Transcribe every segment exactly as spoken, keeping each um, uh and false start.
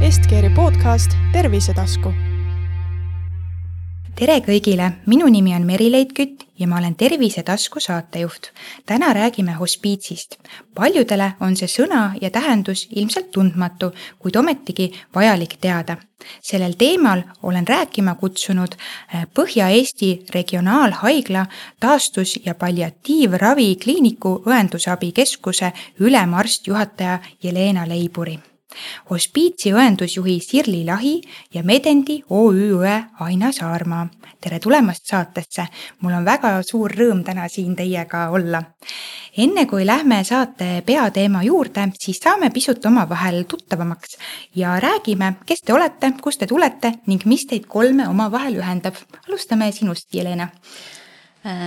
Estkeeri podcast Tervisetasku. Tere kõigile, minu nimi on Merileid Kütt ja ma olen Tervisetasku saatejuht. Täna räägime hospiitsist. Paljudele on see sõna ja tähendus ilmselt tundmatu, kuid ometigi vajalik teada. Sellel teemal olen rääkima kutsunud Põhja-Eesti Regionaalhaigla taastus- ja palliatiivravi kliiniku õendusabikeskuse ülemarstjuhataja Jelena Leiburi. Hospiitsi õendusjuhi Sirli Lahi ja Medendi O Ü õe Aina Saarmaa. Tere tulemast saatesse. Mul on väga suur rõõm täna siin teiega olla. Enne kui lähme saate peateema juurde, siis saame pisut omavahel tuttavamaks ja räägime, kes te olete, kust te tulete ning mis teid kolme omavahel ühendab. Alustame sinust, Jelena.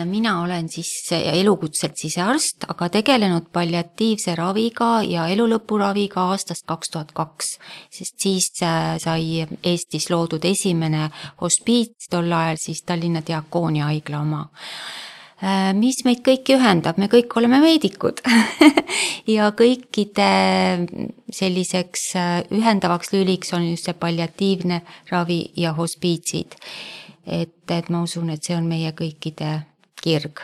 Mina olen siis elukutselt sisearst, aga tegelenud palliatiivse raviga ja elulõpuraviga aastast kaks tuhat kaks, sest siis sai Eestis loodud esimene hospiits, tol ajal siis Tallinna Diakoonia haigla oma. Mis meid kõiki ühendab? Me kõik oleme meedikud ja kõikide selliseks ühendavaks lüliks on just see palliatiivne ravi ja hospiitsid. Et, et ma usun, et see on meie kõikide kirg.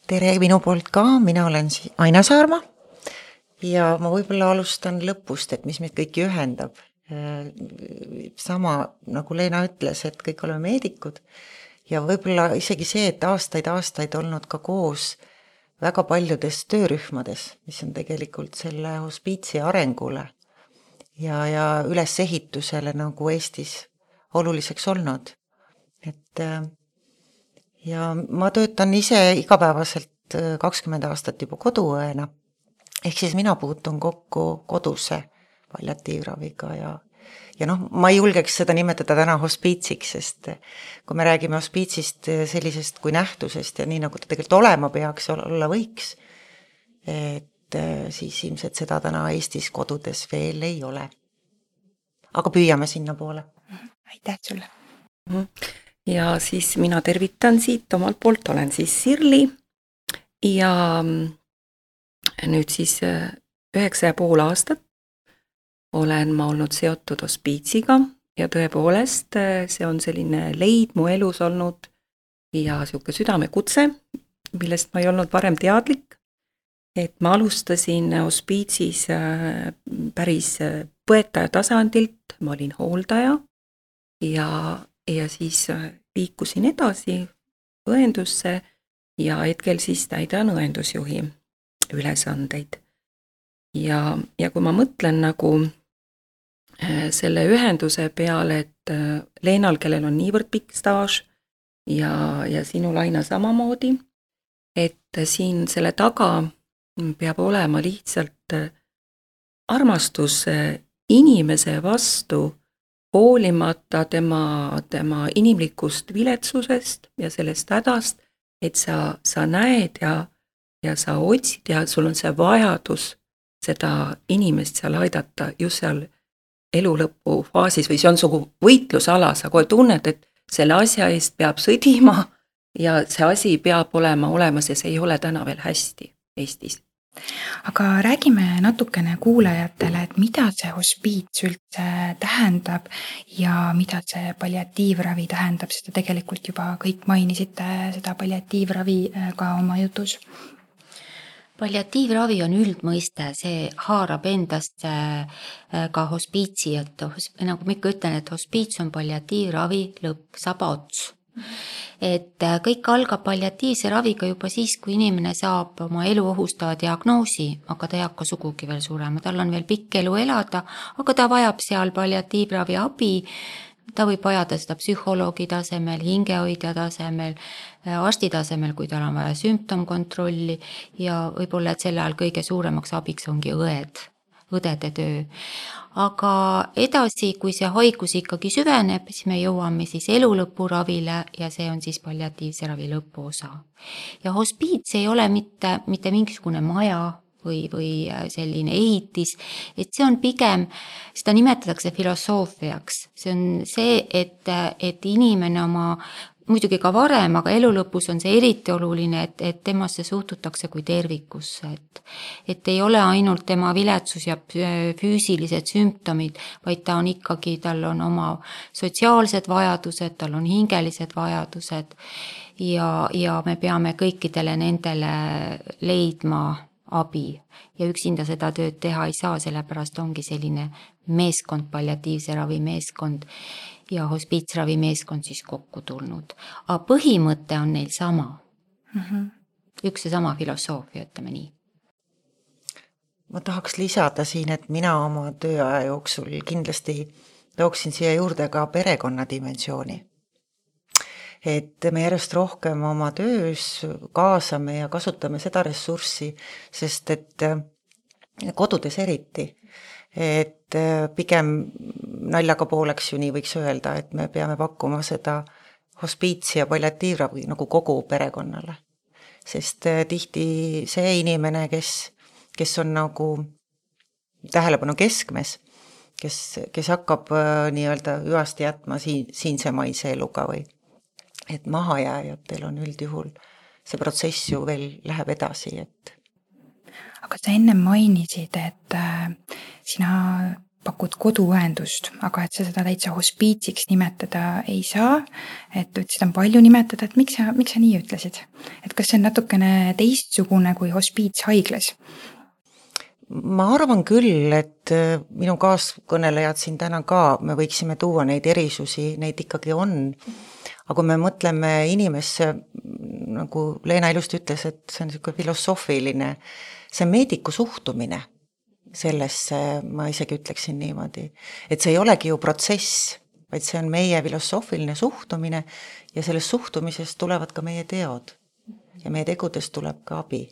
Tere minu poolt ka, mina olen Aina Saarma ja ma võib-olla alustan lõpust, et mis meid kõiki ühendab. Sama nagu Leena ütles, et kõik oleme meedikud ja võib-olla isegi see, et aastaid-aastaid olnud ka koos väga paljudes töörühmades, mis on tegelikult selle hospiitsi arengule ja, ja ülesehitusele nagu Eestis oluliseks olnud. Et, ja ma töötan ise igapäevaselt kakskümmend aastat juba koduõena, ehk siis mina puutun kokku koduse palliatiivraviga ja, ja noh, ma ei julgeks seda nimetada täna hospiitsiks, sest kui me räägime hospiitsist sellisest kui nähtusest ja nii nagu ta tegelikult olema peaks, olla võiks, et siis ilmselt seda täna Eestis kodudes veel ei ole. Aga püüame sinna poole. Aitäh sulle. Ja siis mina tervitan siit omalt poolt, olen siis Sirli ja nüüd siis üheksa ja pool aastat olen ma olnud seotud hospiitsiga ja tõepoolest see on selline leid mu elus olnud ja siuke südamekutse, millest ma ei olnud varem teadlik, et ma alustasin hospiitsis päris põetaja tasandilt, ma olin hooldaja ja, ja siis liikusin edasi õendusse ja hetkel siis täidan õendusjuhi ülesandeid. Ja, ja kui ma mõtlen nagu selle ühenduse peale, et Leenal, kellel on niivõrd pikk staaž ja, ja sinul Aina samamoodi, et siin selle taga peab olema lihtsalt armastus inimese vastu, hoolimata tema, tema inimlikust viletsusest ja sellest hädast, et sa, sa näed ja, ja sa otsid ja sul on see vajadus seda inimest seal aidata just seal elu lõpu faasis või see on sugu võitlusala, sa kohe tunned, et selle asja eest peab sõdima ja see asi peab olema olemas ja see ei ole täna veel hästi Eestis. Aga räägime natukene kuulajatele, et mida see hospiits üldse tähendab ja mida see palliatiivravi tähendab, seda tegelikult juba kõik mainisite seda palliatiivravi ka oma jutus. Palliatiivravi on üldmõiste, see haarab endast ka hospiitsi, et nagu ma ikka ütlen, et hospiits on palliatiivravi lõpp, saba ots. Et kõik algab palliatiivse raviga juba siis, kui inimene saab oma elu ohustava diagnoosi, aga ta ei hakka sugugi veel surema, tal on veel pikk elu elada, aga ta vajab seal palliatiivravi abi, ta võib vajada seda psühholoogi tasemel, hingehoidja tasemel, arsti tasemel, kui tal on vaja sümptomkontrolli ja võib-olla, et selle ajal kõige suuremaks abiks ongi õed, õdede töö. Aga edasi, kui see haigus ikkagi süveneb, siis me jõuame siis elulõpuravile ja see on siis palliatiivse ravi lõpuosa. Ja hospiits ei ole mitte, mitte mingisugune maja või, või selline ehitis, et see on pigem, seda nimetatakse filosoofiaks. See on see, et, et inimene oma muidugi ka varem, aga elu lõpus on see eriti oluline, et, et temasse suhtutakse kui tervikusse, et, et ei ole ainult tema viletsus ja füüsilised sümptomid, vaid ta on ikkagi, tal on oma sotsiaalsed vajadused, tal on hingelised vajadused ja, ja me peame kõikidele nendele leidma abi ja üksinda seda tööd teha ei saa, sellepärast ongi selline meeskond, palliatiivse ravi meeskond ja hospiitsravi meeskond siis kokku tulnud. Aga põhimõte on neil sama. Mm-hmm. Üks ja sama filosoofia, ütleme nii. Ma tahaks lisada siin, et mina oma tööaja jooksul kindlasti tooksin siia juurde ka perekonna dimensiooni. Et me järjest rohkem oma töös kaasame ja kasutame seda ressurssi, sest et kodudes eriti, et pigem naljaga pooleks ju nii võiks öelda, et me peame pakkuma seda hospiitsi ja palliatiivravi nagu kogu perekonnale. Sest tihti see inimene, kes, kes on nagu tähelepanu keskmes, kes, kes hakkab nii-öelda hüvasti jätma siin, siinsemaise eluga või et mahajääjatel on üldjuhul see protsess ju veel läheb edasi, et aga sa enne mainisid, et sina pakud koduõendust, aga et sa seda täitsa hospiitsiks nimetada ei saa, et ütlesid, on palju nimetada, et miks sa, miks sa nii ütlesid? Et kas see on natukene teistsugune kui hospiits haiglas? Ma arvan küll, et minu kaaskõnelejad siin täna ka, me võiksime tuua neid erisusi, neid ikkagi on. Aga kui me mõtleme inimesse, nagu Leena ilusti ütles, et see on selline filosoofiline, see meediku suhtumine sellesse, ma isegi ütleksin niimoodi, et see ei olegi ju protsess, vaid see on meie filosoofiline suhtumine ja sellest suhtumisest tulevad ka meie teod ja meie tegudest tuleb ka abi.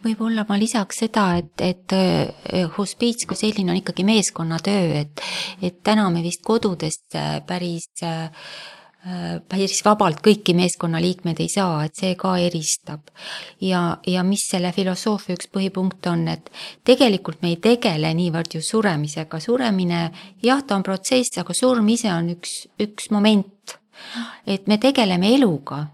Võib-olla ma lisaks seda, et, et hospiits kui selline on ikkagi meeskonnatöö, et, et täna me vist kodudest päris, päris vabalt kõiki meeskonnaliikmed ei saa, et see ka eristab. Ja, ja mis selle filosoofia üks põhipunkt on, et tegelikult me ei tegele niivõrd ju suremisega. Suremine, jah, ta on protsess, aga surm ise on üks, üks moment. Et me tegeleme eluga.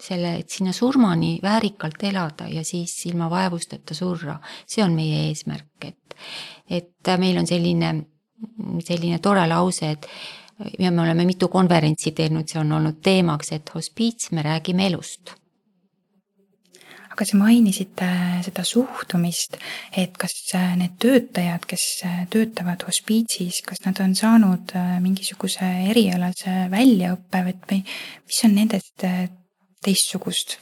Selle, et sinna surmani väärikalt elada ja siis ilma vaevusteta surra. See on meie eesmärk, et, et meil on selline, selline tore lause, et ja me oleme mitu konverentsi teinud, see on olnud teemaks, et hospiits, me räägime elust. Aga sa mainisid seda suhtumist, et kas need töötajad, kes töötavad hospiitsis, kas nad on saanud mingisuguse erialase väljaõppe või mis on nendest teistsugust?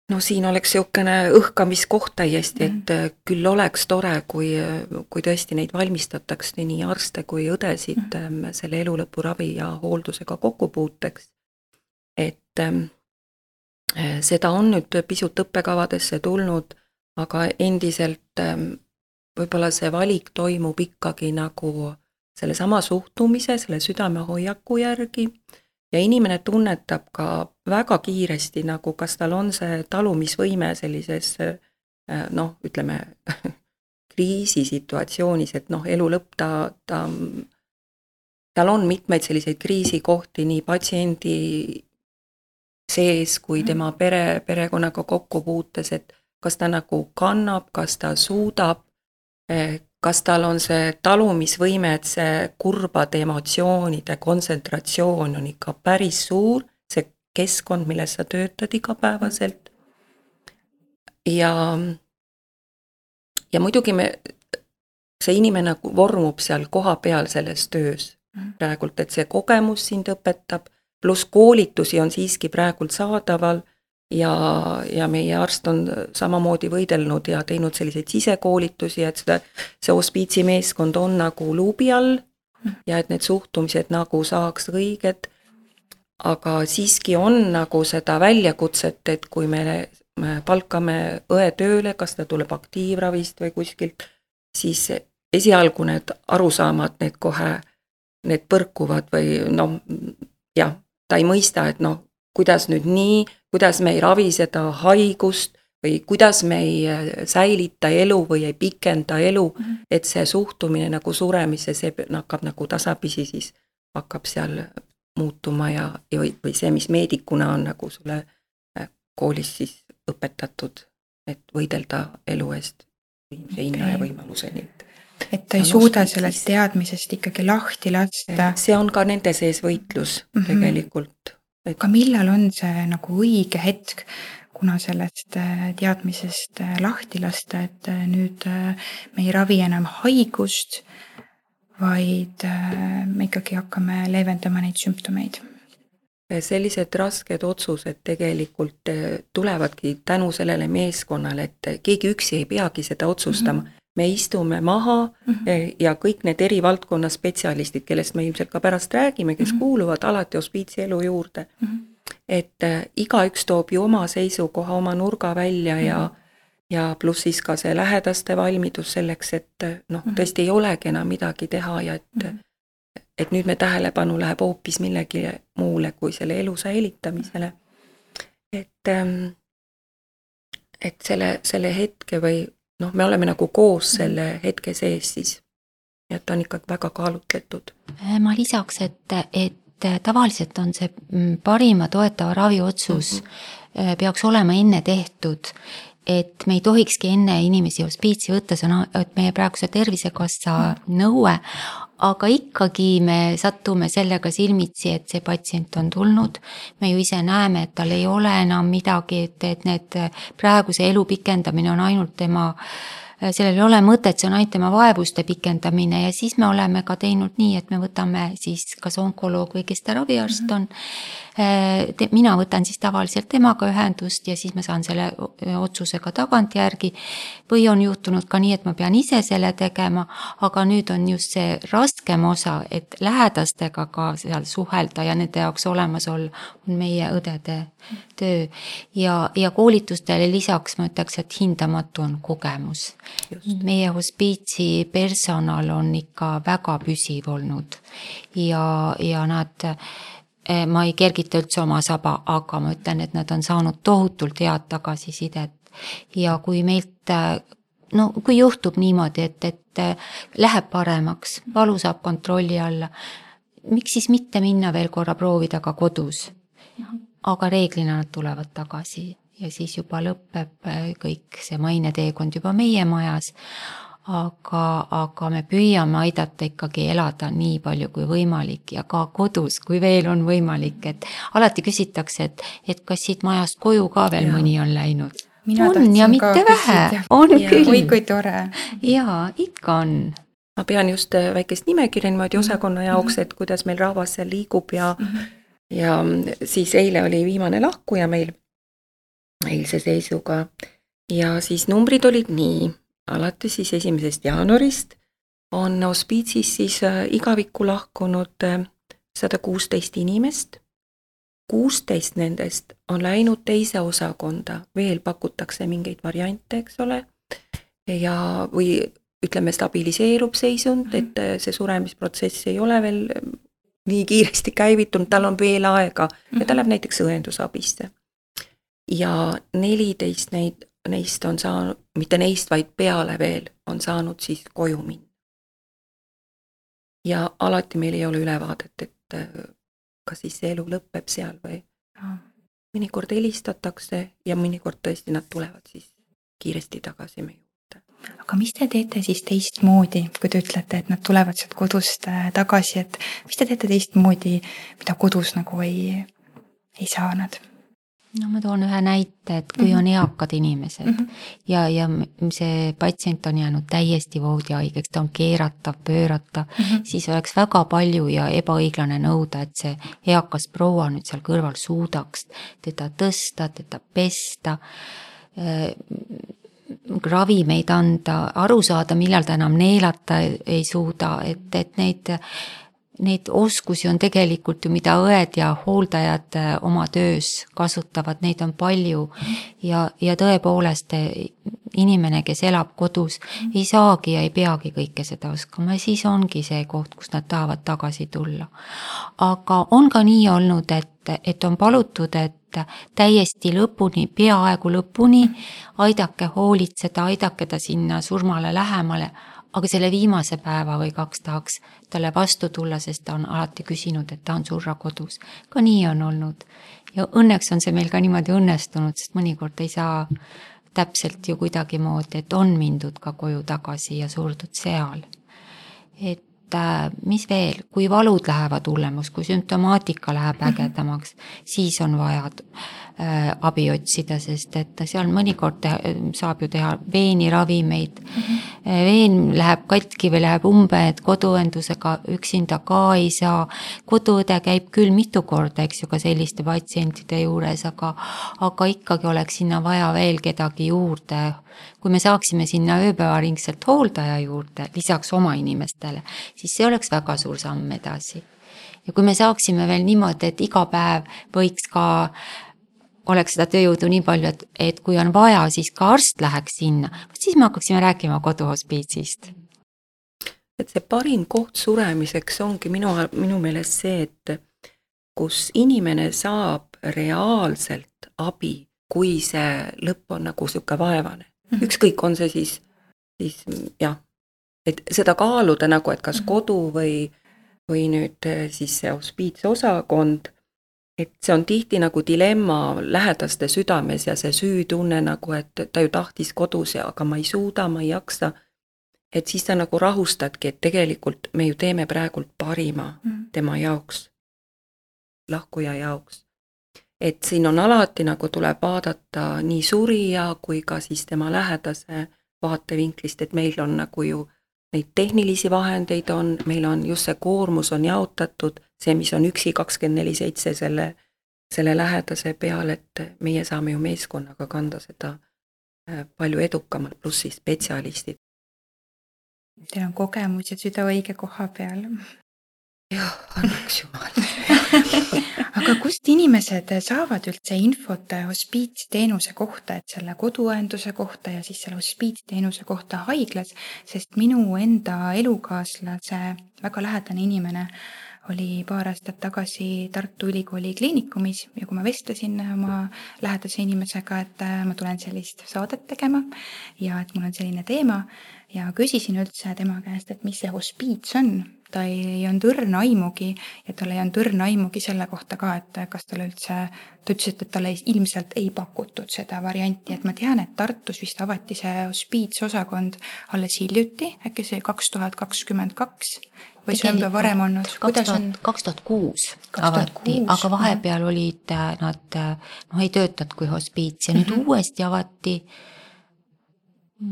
No siin oleks siukene õhkamiskoht täiesti, et küll oleks tore, kui, kui tõesti neid valmistataks nii arste kui õdesid mm. selle elulõpuravi ja hooldusega kokkupuuteks. Et seda on nüüd pisut õppekavadesse tulnud, aga endiselt võib-olla see valik toimub ikkagi nagu selle sama suhtumise, selle südamehoiaku järgi. Ja inimene tunnetab ka väga kiiresti, nagu kas tal on see talumisvõime sellises, noh, ütleme, kriisisituatsioonis, et noh, elu lõpp ta, ta, tal on mitmeid selliseid kriisikohti nii patsiendi sees kui tema pere, perekonnaga kokkupuutes, et kas ta nagu kannab, kas ta suudab, kas tal on see talumisvõime, et see kurbade emotsioonide kontsentratsioon on ikka päris suur, see keskkond, milles sa töötad igapäevaselt. Ja, ja muidugi me, see inimene vormub seal koha peal selles töös praegult, et see kogemus sind õpetab, pluss koolitusi on siiski praegult saadaval, Ja, ja meie arst on samamoodi võidelnud ja teinud selliseid sisekoolitusi, et seda, see hospiitsi meeskond on nagu luubi all ja et need suhtumised nagu saaks õiged, aga siiski on nagu seda väljakutset, et kui me, me palkame õe tööle, kas ta tuleb aktiivravist või kuskilt, siis esialgu need arusaamad, need kohe, need põrkuvad või noh, jah, ta ei mõista, et noh, kuidas nüüd nii, kuidas me ei ravi seda haigust või kuidas me ei säilita elu või ei pikenda elu, et see suhtumine nagu suremisse, see hakkab nagu tasapisi siis hakkab seal muutuma ja, ja või, või see, mis meedikuna on nagu sulle koolis siis õpetatud, et võidelda elu eest viimse hinna okay. ja võimaluseni. Et ta ei suuda sellest teadmisest ikkagi lahti lasta. See on ka nende sees võitlus mm -hmm. tegelikult. Et... Aga millal on see nagu õige hetk, kuna sellest teadmisest lahti lasta, et nüüd me ei ravi enam haigust, vaid me ikkagi hakkame leevendama neid sümptomeid? Sellised rasked otsused tegelikult tulevadki tänu sellele meeskonnale, et keegi üksi ei peagi seda otsustama. Mm-hmm. Me istume maha mm-hmm. ja kõik need eri valdkonna spetsialistid, kellest me ilmselt ka pärast räägime, kes mm-hmm. kuuluvad alati hospiitsi elu juurde. Mm-hmm. Et igaüks toob ju oma seisukoha, oma nurga välja mm-hmm. ja, ja pluss siis ka see lähedaste valmidus selleks, et noh, mm-hmm. tõesti ei olegi enam midagi teha ja et mm-hmm. et nüüd me tähelepanu läheb hoopis millegi muule kui selle elu säilitamisele. Et, et selle, selle hetke või noh, me oleme nagu koos selle hetke sees siis. Ja ta on ikkagi väga kaalutletud. Ma lisaks, et, et tavaliselt on see parima toetava ravi otsus mm-hmm. peaks olema enne tehtud, et me ei tohikski enne inimesi hospiitsi võtta, see on et meie praeguse Tervisekassa mm-hmm. nõue, aga ikkagi me sattume sellega silmitsi, et see patsient on tulnud. Me ju ise näeme, et tal ei ole enam midagi, et, et need praeguse elu pikendamine on ainult tema, sellel ei ole mõtet, see on ainult tema vaevuste pikendamine ja siis me oleme ka teinud nii, et me võtame siis kas onkoloog või kes ta raviarst on. Te, mina võtan siis tavaliselt temaga ühendust ja siis ma saan selle otsusega tagant järgi või on juhtunud ka nii, et ma pean ise selle tegema, aga nüüd on just see raskem osa, et lähedastega ka seal suhelda ja nende jaoks olemas olla on meie õdede töö ja, ja koolitustele lisaks ma ütleks, et hindamatu on kogemus. Just. Meie hospiitsi personal on ikka väga püsiv olnud ja, ja nad ma ei kergita üldse oma saba, aga ma ütlen, et nad on saanud tohutult head tagasisidet ja kui meilt, no kui juhtub niimoodi, et, et läheb paremaks, valu saab kontrolli alla, miks siis mitte minna veel korra proovida ka kodus, aga reeglina nad tulevad tagasi ja siis juba lõpeb kõik see maineteekond juba meie majas. Aga, aga me püüame aidata ikkagi elada nii palju kui võimalik ja ka kodus, kui veel on võimalik, et alati küsitakse, et, et kas siit majast koju ka veel ja. Mõni on läinud. Mina on ja mitte vähe, on ja. Küll. Oi, kui tore. Jaa, ikka on. Ma pean just väikest nimekirja niimoodi osakonna jaoks, et kuidas meil rahvas seal liigub ja, ja siis eile oli viimane lahkuja meil eilse seisuga ja siis numbrid olid nii. Alati siis esimesest jaanuarist on hospiitsis siis igavikku lahkunud sada kuusteist inimest. kuusteist nendest on läinud teise osakonda, veel pakutakse mingeid variante, eks ole, ja või ütleme stabiliseerub seisund, et see suremisprotsess ei ole veel nii kiiresti käivitunud, tal on veel aega ja ta läheb näiteks õendusabisse. Ja neliteist neid neist on saanud, mitte neist, vaid peale veel on saanud siis koju minna. Ja alati meil ei ole ülevaadet, et kas siis see elu lõpeb seal või mõnikord helistatakse ja mõnikord tõesti nad tulevad siis kiiresti tagasi meie juurde. Aga mis te teete siis teistmoodi, kui te ütlete, et nad tulevad sealt kodust tagasi, et mis te teete teistmoodi, mida kodus nagu ei, ei saa nad? No ma toon ühe näite, et kui on eakad inimesed mm-hmm. ja, ja see patsient on jäänud täiesti voodihaigeks, ta on keeratav, pööratav, mm-hmm. siis oleks väga palju ja ebaõiglane nõuda, et see eakas proua nüüd seal kõrval suudaks teda tõsta, teda pesta, äh, ravimeid anda, aru saada, millal ta enam neelata ei suuda, et, et neid Neid oskusi on tegelikult ju, mida õed ja hooldajad oma töös kasutavad, neid on palju ja, ja tõepoolest inimene, kes elab kodus, ei saagi ja ei peagi kõike seda oskama ja siis ongi see koht, kus nad tahavad tagasi tulla. Aga on ka nii olnud, et, et on palutud, et täiesti lõpuni, peaaegu lõpuni, aidake hoolitseda, aidake ta sinna surmale lähemale, aga selle viimase päeva või kaks tahaks talle vastu tulla, sest ta on alati küsinud, et ta on surra kodus. Ka nii on olnud. Ja õnneks on see meil ka niimoodi õnnestunud, sest mõnikord ei saa täpselt ju kuidagi moodi, et on mindud ka koju tagasi ja surdud seal. Et mis veel, kui valud lähevad hullemaks, kui sümptomaatika läheb ägedamaks, siis on vaja äh, abi otsida, sest et seal mõnikord teha, saab ju teha veeniravimeid. Mm-hmm. Veen läheb katki või läheb umbe, et koduõendusega üksinda ka ei saa. Koduõde käib küll mitu korda, eks ju, ka selliste patsientide juures, aga, aga ikkagi oleks sinna vaja veel kedagi juurde. Kui me saaksime sinna ööpäevaringselt hooldaja juurde, lisaks oma inimestele, siis see oleks väga suur samm edasi. Ja kui me saaksime veel niimoodi, et iga päev võiks ka, oleks seda tööjõudu nii palju, et, et kui on vaja, siis ka arst läheks sinna, siis me hakkaksime rääkima koduhospiitsist. Et see parim koht suremiseks ongi minu, minu meelest see, et kus inimene saab reaalselt abi, kui see lõpp on nagu siuke vaevane. Ükskõik on see siis, siis jah, et seda kaaluda nagu, et kas kodu või, või nüüd siis see hospiitsosakond, et see on tihti nagu dilemma lähedaste südames ja see süütunne nagu, et ta ju tahtis kodus, aga ma ei suuda, ma ei jaksa. Et siis ta nagu rahustadki, et tegelikult me ju teeme praegult parima tema jaoks, lahkuja jaoks. Et siin on alati nagu tuleb vaadata nii surija kui ka siis tema lähedase vaatevinklist, et meil on nagu ju neid tehnilisi vahendeid on, meil on just see koormus on jaotatud, see, mis on üksi kakskümmend neli seitse selle, selle lähedase peal, et meie saame ju meeskonnaga kanda seda palju edukamalt, plussi spetsialistid. Teil on kogemus ja süda õige koha peal. Jah, annaks jumal. Aga kust inimesed saavad üldse infot hospiitsteenuse kohta, et selle koduõenduse kohta ja siis selle hospiitsteenuse kohta haiglas, sest minu enda elukaaslase väga lähedane inimene oli paar aastat tagasi Tartu Ülikooli kliinikumis ja kui ma vestlesin oma lähedase inimesega, et ma tulen sellist saadet tegema ja et mul on selline teema ja küsisin üldse tema käest, et mis see hospiits on. Ta ei on tõrna aimugi ja tal ei on tõrna aimugi selle kohta ka, et kas tal üldse, ta ütles, et talle ilmselt ei pakutud seda varianti, et ma tean, et Tartus vist avati see hospiitsosakond alles hiljuti, äkki see kaks tuhat kakskümmend kaks või see on juba varem olnud? kaks tuhat kuus avati, aga vahepeal olid nad, noh ei töötanud kui hospiits ja nüüd mm-hmm. uuesti avati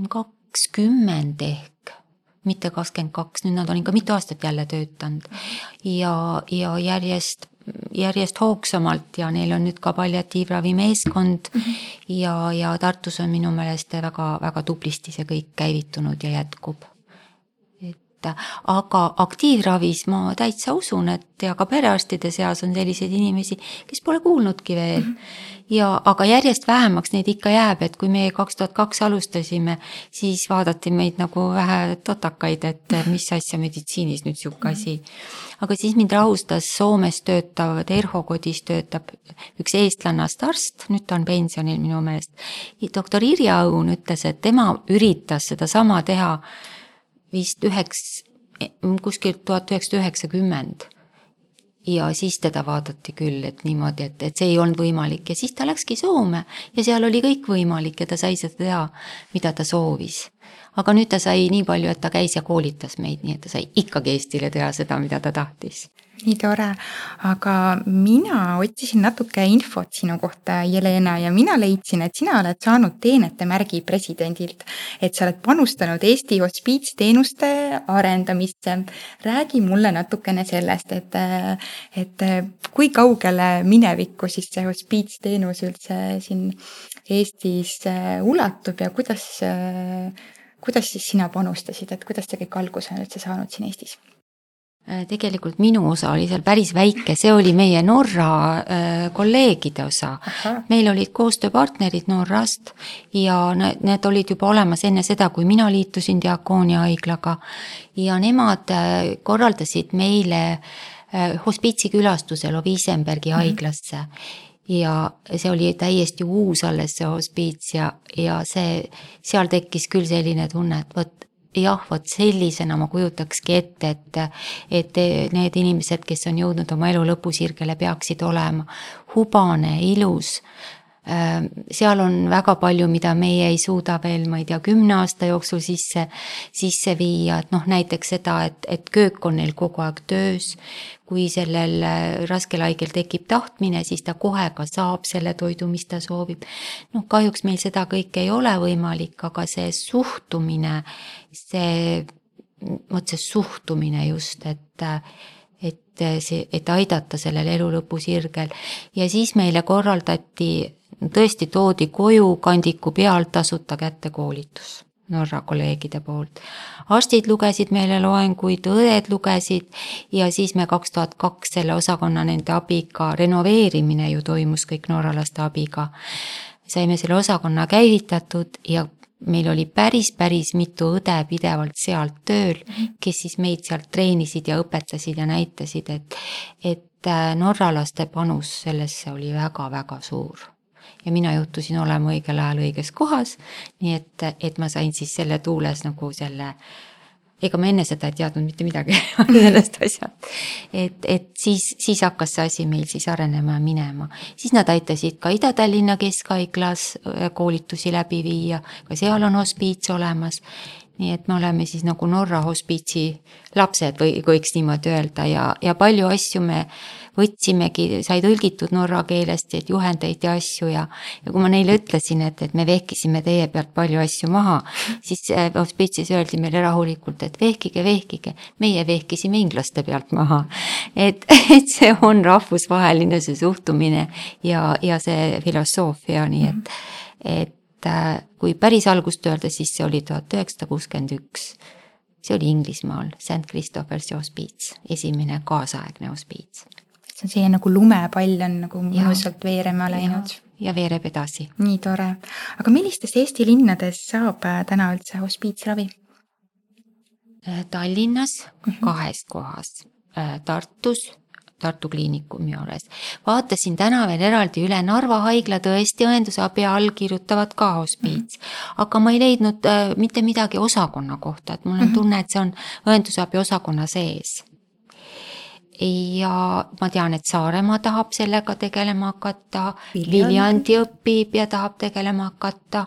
kakskümmend ehk. Mitte kakskümmend kaks, nüüd nad on ikka mitu aastat jälle töötanud ja, ja järjest, järjest hoogsamalt ja neil on nüüd ka palliatiivravi meeskond mm-hmm. ja, ja Tartus on minu meelest väga, väga tublisti see kõik käivitunud ja jätkub. Et, aga aktiivravis ma täitsa usun, et ja ka perearstide seas on selliseid inimesi, kes pole kuulnudki veel. Mm-hmm. Ja, aga järjest vähemaks neid ikka jääb, et kui me kaks tuhat kaks alustasime, siis vaadati meid nagu vähe totakaid, et mis asja meditsiinis nüüd siuke asi. Aga siis mind rahustas Soomes töötav, Terho kodis töötab üks eestlannast arst, nüüd ta on pensionil minu meelest. Doktor Irja Õun ütles, et tema üritas seda sama teha vist üheks, kuskil tuhat üheksasada üheksakümmend. Ja siis teda vaadati küll, et niimoodi, et, et see ei olnud võimalik ja siis ta läkski Soome ja seal oli kõik võimalik ja ta sai seda teha, mida ta soovis. Aga nüüd ta sai nii palju, et ta käis ja koolitas meid, nii et ta sai ikkagi Eestile teha seda, mida ta tahtis. Nii tore, aga mina otsisin natuke infot sinu kohta, Jelena, ja mina leidsin, et sina oled saanud teenete märgi presidendilt, et sa oled panustanud Eesti hospiitsteenuste arendamisse. Räägi mulle natukene sellest, et, et kui kaugele minevikku siis see hospiitsteenus üldse siin Eestis ulatub ja kuidas, kuidas siis sina panustasid, et kuidas see kõik alguse on üldse saanud siin Eestis? Tegelikult minu osa oli seal päris väike, see oli meie Norra äh, kolleegide osa. Aha. Meil olid koostööpartnerid Norrast ja need, need olid juba olemas enne seda, kui mina liitusin Diakoonia haiglaga ja nemad äh, korraldasid meile äh, hospiitsi külastuse Loviisenbergi mm-hmm. haiglasse ja see oli täiesti uus alles see hospiits ja, ja see, seal tekkis küll selline tunne, et võt, jah, vot sellisena ma kujutakski ette, et, et need inimesed, kes on jõudnud oma elu lõpusirgele, peaksid olema hubane, ilus. Seal on väga palju, mida meie ei suuda veel, ma ei tea, kümne aasta jooksul sisse, sisse viia, et noh, näiteks seda, et, et köök on neil kogu aeg töös. Kui sellel raskel haigel tekib tahtmine, siis ta kohe ka saab selle toidu, mis ta soovib. No kahjuks meil seda kõik ei ole võimalik, aga see suhtumine, see, vot see suhtumine just, et et, see, et aidata sellel elu lõpusirgel. Ja siis meile korraldati, tõesti toodi koju kandiku pealt tasuta kätte koolitus Norra kolleegide poolt. Arstid lugesid meile loenguid, õed lugesid ja siis me kaks tuhat kaks selle osakonna nende abiga, renoveerimine ju toimus kõik norralaste abiga. Saime selle osakonna käivitatud ja meil oli päris, päris mitu õde pidevalt sealt tööl, kes siis meid sealt treenisid ja õpetasid ja näitasid, et, et norralaste panus sellesse oli väga, väga suur. Ja mina juhtusin olema õigel ajal õiges kohas, nii et, et ma sain siis selle tuules nagu selle, ega ma enne seda ei teadnud mitte midagi sellest asjast. Et, et siis, siis hakkas see asi meil siis arenema ja minema. Siis nad aitasid ka Ida-Tallinna Keskhaiglas koolitusi läbi viia, ka seal on hospiits olemas. Nii et me oleme siis nagu Norra hospiitsi lapsed või võiks niimoodi öelda ja, ja palju asju me võtsimegi, sai tõlgitud norra keelest, et juhendeid ja asju ja, ja kui ma neile ütlesin, et, et me vehkisime teie pealt palju asju maha, siis hospiitsis öeldi meile rahulikult, et vehkige, vehkige, meie vehkisime inglaste pealt maha. Et, et see on rahvusvaheline see suhtumine ja, ja see filosoofia, nii et, et kui päris algust öelda, siis see oli tuhat üheksasada kuuskümmend üks. See oli Inglismaal, Saint Christopher's hospiits, esimene kaasaegne hospiits. See on siia nagu lumepall on nagu mõnusalt veerema läinud. Ja, ja veereb edasi. Nii tore. Aga millistes Eesti linnades saab täna üldse hospiitsravi? Tallinnas kahes kohas, Tartus, Tartu kliinikumi juures. Vaatasin täna veel eraldi üle Narva haigla tõesti õendusabi all kirjutavad ka hospiits. Aga ma ei leidnud äh, mitte midagi osakonna kohta, et mul on tunne, et see on õendusabi osakonna sees. Ja ma tean, et Saaremaa tahab sellega tegelema hakata, Viljandi õpib ja tahab tegelema hakata.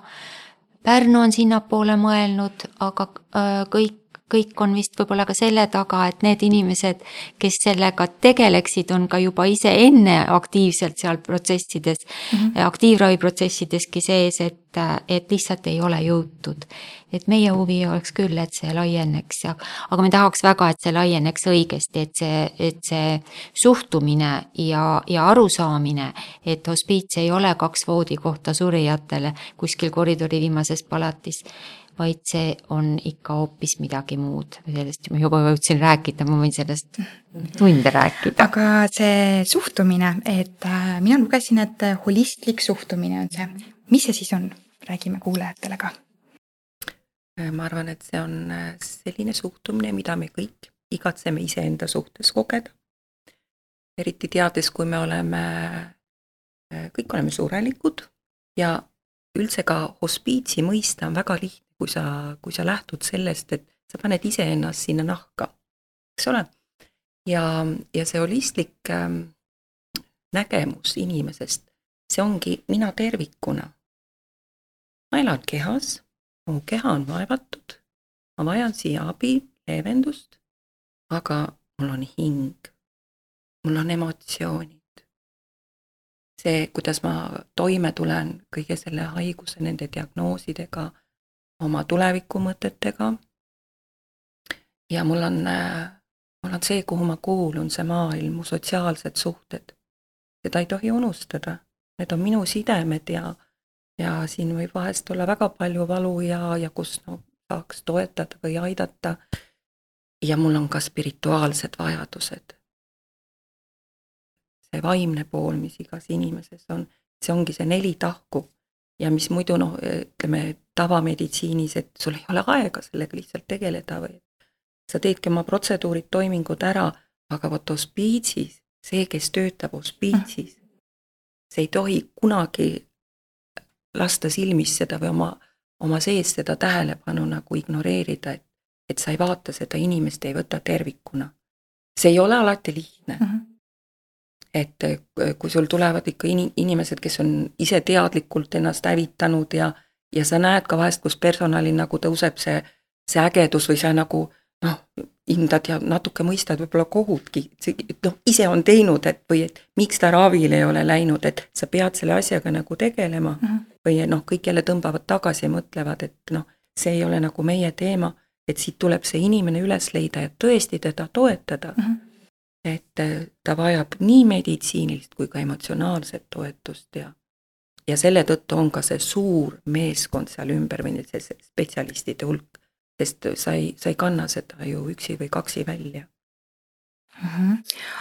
Pärnu on sinnapoole mõelnud, aga äh, kõik kõik on vist võib-olla ka selle taga, et need inimesed, kes sellega tegeleksid, on ka juba ise enne aktiivselt seal protsessides, mm-hmm. aktiivraviprotsessideski sees, et, et lihtsalt ei ole jõutud. Et meie huvi oleks küll, et see laieneks, aga me tahaks väga, et see laieneks õigesti, et see, et see suhtumine ja, ja arusaamine, et hospiits ei ole kaks voodikohta surijatele kuskil koridori viimases palatis, vaid see on ikka hoopis midagi muud. Sellest ma juba võtsin rääkida, ma võin sellest tunde rääkida. Aga see suhtumine, et mina lugesin, et holistlik suhtumine on see. Mis see siis on? Räägime kuulajatele ka. Ma arvan, et see on selline suhtumine, mida me kõik igatseme iseenda suhtes kogeda. Eriti teades, kui me oleme, kõik oleme surelikud ja üldse ka hospiitsi mõista on väga lihtne. Kui sa, kui sa lähtud sellest, et sa paned ise ennast sinna nahka, eks ole? Ja, ja see holistlik ähm, nägemus inimesest, see ongi mina tervikuna. Ma elan kehas, mu keha on vaevatud, ma vajan siia abi, leevendust, aga mul on hing, mul on emotsioonid. See, kuidas ma toime tulen kõige selle haiguse, nende diagnoosidega, oma tulevikumõtetega ja mul on, mul on see, kuhu ma kuulun, see maailm, mu sotsiaalsed suhted. Seda ei tohi unustada. Need on minu sidemed ja, ja siin võib vahest olla väga palju valu ja, ja kus no, saaks toetada või aidata. Ja mul on ka spirituaalsed vajadused. See vaimne pool, mis igas inimeses on, see ongi see neli tahku. Ja mis muidu, noh, ütleme, tavameditsiinis, et sul ei ole aega sellega lihtsalt tegeleda või sa teedki oma protseduurid, toimingud ära, aga võt hospiitsis, see, kes töötab hospiitsis, see ei tohi kunagi lasta silmis seda või oma, oma sees seda tähelepanu nagu ignoreerida, et et sa ei vaata seda inimest, ei võta tervikuna. See ei ole alati lihtne. Uh -huh. Et kui sul tulevad ikka inimesed, kes on ise teadlikult ennast hävitanud ja, ja sa näed ka vahest, kus personalil nagu tõuseb see, see ägedus või sa nagu noh, hindad ja natuke mõistad võib-olla kohutki, noh, ise on teinud, et või et miks ta ravile ei ole läinud, et sa pead selle asjaga nagu tegelema uh -huh. või noh, kõik jälle tõmbavad tagasi ja mõtlevad, et noh, see ei ole nagu meie teema, et siit tuleb see inimene üles leida ja tõesti teda toetada. Uh -huh. Et ta vajab nii meditsiinilist kui ka emotsionaalset toetust ja, ja selle tõttu on ka see suur meeskond seal ümber või see spetsialistide hulk, sest sa ei, sa ei kanna seda ju üksi või kaksi välja. Uh-huh.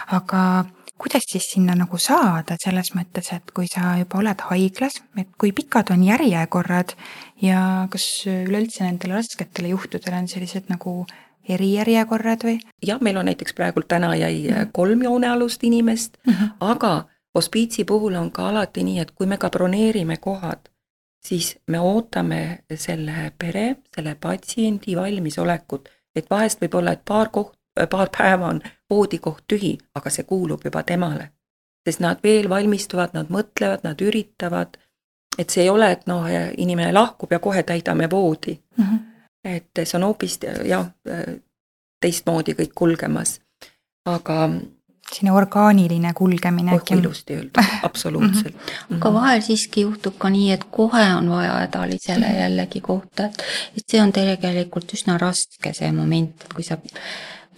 Aga kuidas siis sinna nagu saada selles mõttes, et kui sa juba oled haiglas, et kui pikad on järjekorrad ja kas üleüldse nendele rasketele juhtudele on sellised nagu erijärjekorrad või? Jah, meil on näiteks praegu täna jäi kolm joonealust inimest, uh-huh. aga hospiitsi puhul on ka alati nii, et kui me ka broneerime kohad, siis me ootame selle pere, selle patsiendi valmisolekut, et vahest võib olla, et paar, koht, paar päeva on voodikoht tühi, aga see kuulub juba temale. Sest nad veel valmistuvad, nad mõtlevad, nad üritavad, et see ei ole, et noh, inimene lahkub ja kohe täidame voodi. Uh-huh. Et see on hoopis jah, teistmoodi kõik kulgemas, aga selline orgaaniline kulgemine. Oh, ilusti öelda, absoluutselt. Mm-hmm. Aga vahel siiski juhtub ka nii, et kohe on vaja hädalisele mm-hmm. jällegi kohta, et, et see on tegelikult üsna raske see moment, et kui sa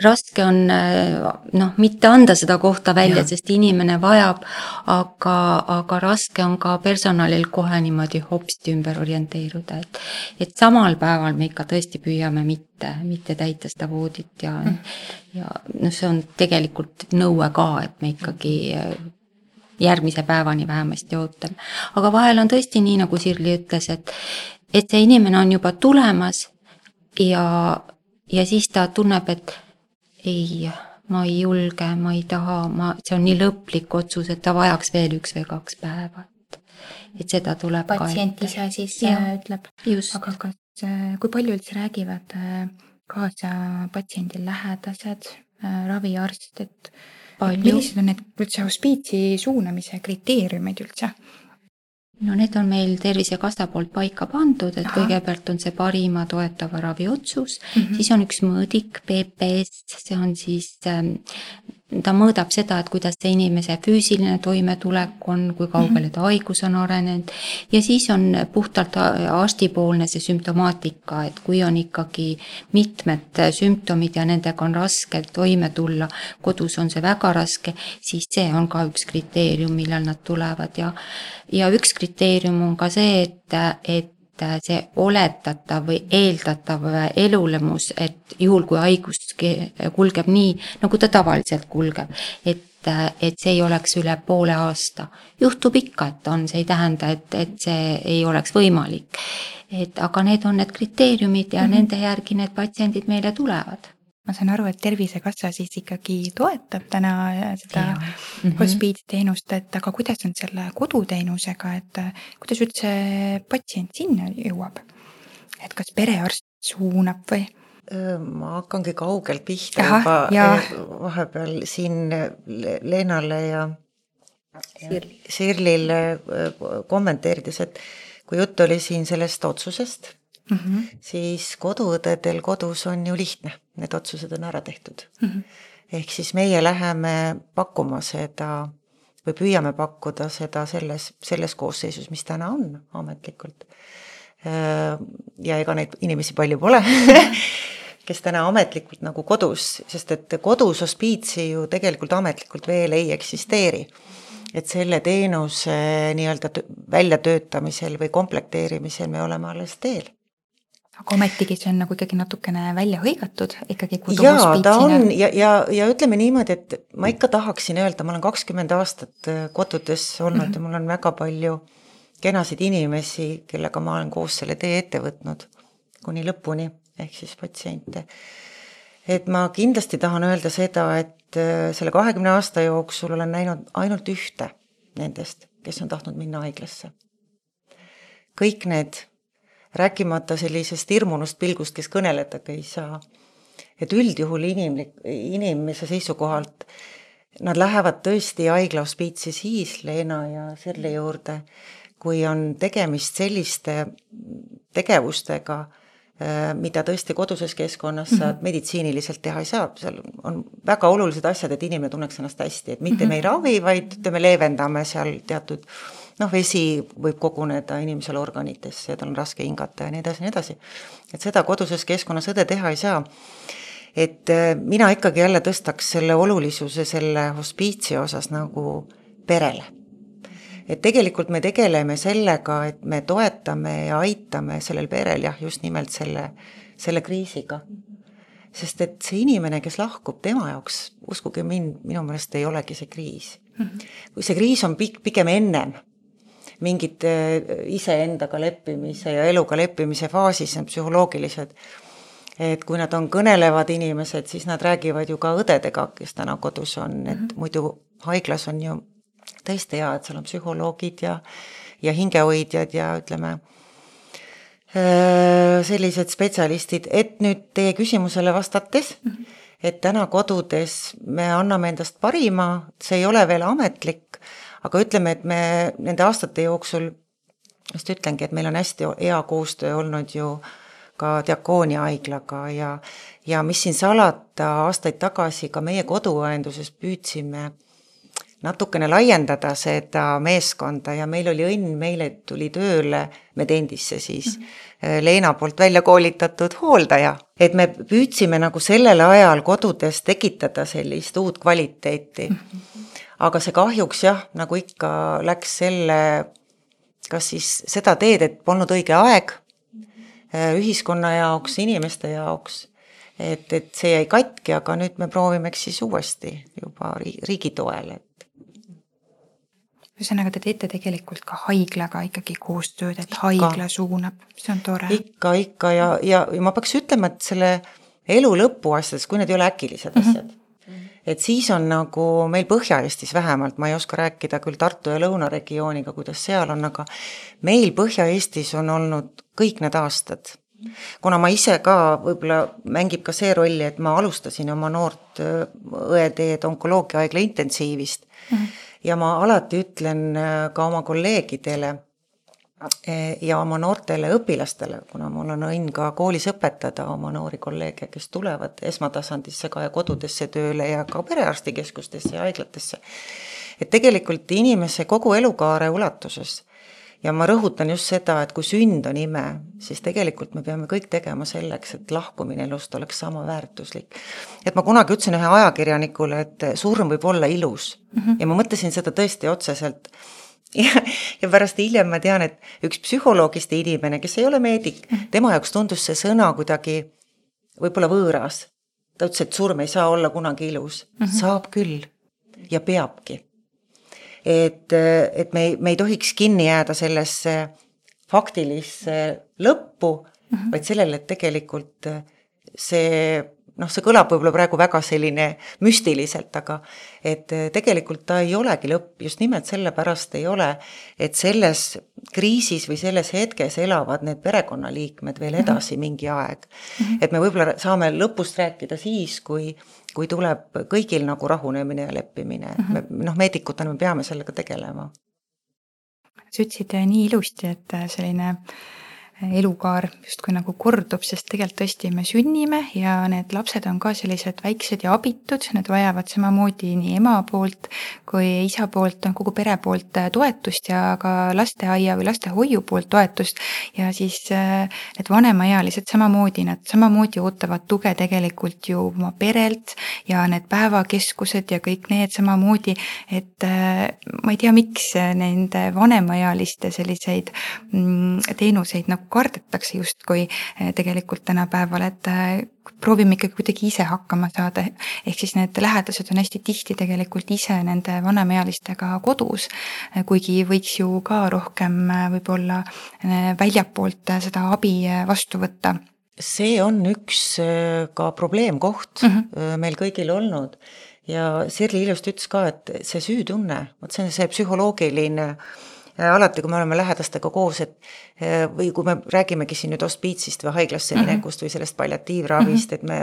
raske on noh, mitte anda seda kohta välja, ja. Sest inimene vajab, aga, aga raske on ka personalil kohe niimoodi hopsti ümber orienteeruda, et, et samal päeval me ikka tõesti püüame mitte, mitte täita seda voodit ja, mm. ja no see on tegelikult nõue ka, et me ikkagi järgmise päevani vähemasti ootame. Aga vahel on tõesti nii, nagu Sirli ütles, et, et see inimene on juba tulemas ja, ja siis ta tunneb, et ei, ma ei julge, ma ei taha, ma, see on nii lõplik otsus, et ta vajaks veel üks või kaks päeva. Et, et seda tuleb patsient ka ise siis ja, ütleb. Just. Aga kas, kui palju üldse räägivad kaasa patsiendil lähedased, raviarst, et palju. Millised on need üldse hospiitsi suunamise kriteeriumid üldse? No need on meil Tervisekassa poolt paika pandud, et Aha. kõigepealt on see parima toetava ravi otsus, mm-hmm. siis on üks mõõdik P P S, see on siis, ta mõõdab seda, et kuidas see inimese füüsiline toimetulek on, kui kaugele ta haigus on arenenud ja siis on puhtalt arstipoolne see sümptomaatika, et kui on ikkagi mitmed sümptomid ja nendega on raske toime tulla, kodus on see väga raske, siis see on ka üks kriteerium, millal nad tulevad ja, ja üks kriteerium on ka see, et, et see oletatav või eeldatav elulemus, et juhul kui haigus kulgeb nii, nagu ta tavaliselt kulgeb, et, et see ei oleks üle poole aasta. Juhtub ikka, et on, see ei tähenda, et, et see ei oleks võimalik. Et, aga need on need kriteeriumid ja mm-hmm. nende järgi need patsiendid meile tulevad. Ma saan aru, et Tervisekassa siis ikkagi toetab täna seda mm-hmm. hospiitsteenust, et aga kuidas on selle koduteenusega, et kuidas üldse patsient sinna jõuab? Et kas perearst suunab või? Ma hakkangi kaugelt pihta Aha, juba ja. vahepeal siin Leenale ja Sirlile kommenteerides, et kui jutt oli siin sellest otsusest, Mm-hmm. siis koduõdedel kodus on ju lihtne, need otsused on ära tehtud. Mm-hmm. Ehk siis meie läheme pakkuma seda või püüame pakkuda seda selles, selles koosseisus, mis täna on ametlikult. Ja ega neid inimesi palju pole, kes täna ametlikult nagu kodus, sest et kodus hospiitsi ju tegelikult ametlikult veel ei eksisteeri. Et selle teenuse nii-öelda väljatöötamisel või komplekteerimisel me oleme alles teel. Aga ometigi see on nagu ikkagi natukene välja hõigatud ikkagi jaa, ta on ja, ja, ja ütleme niimoodi, et ma ikka tahaksin öelda, ma olen kakskümmend aastat kodudes olnud mm-hmm. ja mul on väga palju kenasid inimesi, kellega ma olen koos selle tee ette võtnud kuni lõpuni, ehk siis patsiente. Et ma kindlasti tahan öelda seda, et selle kahekümne aasta jooksul olen näinud ainult ühte nendest, kes on tahtnud minna haiglasse. Kõik need rääkimata sellisest hirmunust pilgust, kes kõneledagi ei saa, et üldjuhul inimlik, inimese seisukohalt nad lähevad tõesti haigla hospiitsi siis Leena ja Sirli juurde, kui on tegemist selliste tegevustega, mida tõesti koduses keskkonnas saad mm-hmm. meditsiiniliselt teha ei saa. Seal on väga olulised asjad, et inimene tunneks ennast hästi, et mitte mm-hmm. me ei ravi, vaid me leevendame seal teatud, noh, vesi võib koguneda inimesele organitesse ja tal on raske hingata ja nii edasi, nii edasi. Et seda koduses keskkonnas õde teha ei saa. Et mina ikkagi jälle tõstaks selle olulisuse selle hospiitsi osas nagu perele. Et tegelikult me tegeleme sellega, et me toetame ja aitame sellel perel jah, just nimelt selle, selle kriisiga. Sest et see inimene, kes lahkub tema jaoks, uskuge mind, minu meelest ei olegi see kriis. Kui see kriis on pigem ennem mingid iseendaga leppimise ja eluga leppimise faasis, on psühholoogilised, et kui nad on kõnelevad inimesed, siis nad räägivad ju ka õdedega, kes täna kodus on, et muidu haiglas on ju tõesti hea, et seal on psühholoogid ja, ja hingehoidjad ja ütleme sellised spetsialistid, et nüüd teie küsimusele vastates, et täna kodudes me anname endast parima, see ei ole veel ametlik, aga ütleme, et me nende aastate jooksul, just ütlengi, et meil on hästi hea koostöö olnud ju ka Diakoonia haiglaga ja, ja mis siin salata aastaid tagasi ka meie koduõenduses püüdsime natukene laiendada seda meeskonda ja meil oli õnn, meile tuli tööle Medendisse siis mm-hmm. Leena poolt välja koolitatud hooldaja. Et me püüdsime nagu sellel ajal kodudes tekitada sellist uut kvaliteeti. Mm-hmm. Aga see kahjuks jah, nagu ikka läks selle, kas siis seda teed, et polnud õige aeg ühiskonna jaoks, inimeste jaoks. Et, et see jäi katki, aga nüüd me proovimeks siis uuesti juba riigi toel, et ühesõnaga, te teete tegelikult ka haiglaga ikkagi koostööd, et haigla suunab, see on tore. Ikka, ikka ja, ja, ja ma peaks ütlema, et selle elu lõpu asjades, kui need ei ole äkilised asjad, mm-hmm. et siis on nagu meil Põhja-Eestis vähemalt, ma ei oska rääkida küll Tartu ja Lõunaregiooniga, kuidas seal on, aga meil Põhja-Eestis on olnud kõik need aastad. Kuna ma ise ka võib-olla mängib ka see rolli, et ma alustasin oma noort õeteed onkoloogia haigla intensiivist, mm-hmm. ja ma alati ütlen ka oma kolleegidele ja oma noortele õpilastele, kuna mul on õnn ka koolis õpetada oma noori kolleege, kes tulevad esmatasandisse ka ja kodudesse tööle ja ka perearstikeskustesse ja haiglatesse. Et tegelikult inimese kogu elukaare ulatuses ja ma rõhutan just seda, et kui sünd on ime, siis tegelikult me peame kõik tegema selleks, et lahkumine elust oleks sama väärtuslik. Et ma kunagi ütlesin ühe ajakirjanikule, et surm võib olla ilus. Mm-hmm. Ja ma mõtlesin seda tõesti otseselt. Ja, ja pärast hiljem ma tean, et üks psühholoogiste inimene, kes ei ole meedik, mm-hmm. tema jaoks tundus see sõna kuidagi võib-olla võõras. Ta ütles, et surm ei saa olla kunagi ilus. Mm-hmm. Saab küll ja peabki. Et, et me, ei, me ei tohiks kinni jääda sellesse faktilisse lõppu, mm-hmm. vaid sellele, et tegelikult see, noh, see kõlab võib-olla praegu väga selline müstiliselt, aga et tegelikult ta ei olegi lõpp, just nimelt sellepärast ei ole, et selles kriisis või selles hetkes elavad need perekonnaliikmed veel edasi mm-hmm. mingi aeg. Mm-hmm. Et me võib-olla saame lõpust rääkida siis, kui kui tuleb kõigil nagu rahunemine ja leppimine. Mm-hmm. Me, noh, meedikutena me peame sellega tegelema. Sa ütlesid nii ilusti, et selline elukaar justkui nagu kordub, sest tegelikult tõesti me sünnime ja need lapsed on ka sellised väiksed ja abitud, need vajavad samamoodi nii ema poolt kui isa poolt, kogu pere poolt toetust ja ka lasteaia või lastehoiu poolt toetust ja siis need vanemaealised samamoodi, nad samamoodi ootavad tuge tegelikult ju oma perelt ja need päevakeskused ja kõik need samamoodi, et ma ei tea, miks nende vanemaealiste selliseid teenuseid nagu kardetakse justkui tegelikult tänapäeval, et proovime ikkagi kuidagi ise hakkama saada, ehk siis need lähedased on hästi tihti tegelikult ise nende vanemaealistega kodus, kuigi võiks ju ka rohkem võib-olla väljapoolt seda abi vastu võtta. See on üks ka probleemkoht mm-hmm. meil kõigil olnud ja Sirli ilusti ütles ka, et see süütunne, see on see psühholoogiline alati, kui me oleme lähedastega koos, et või kui me räägimegi siin nüüd hospiitsist või haiglasse minekust või sellest palliatiivravist, et me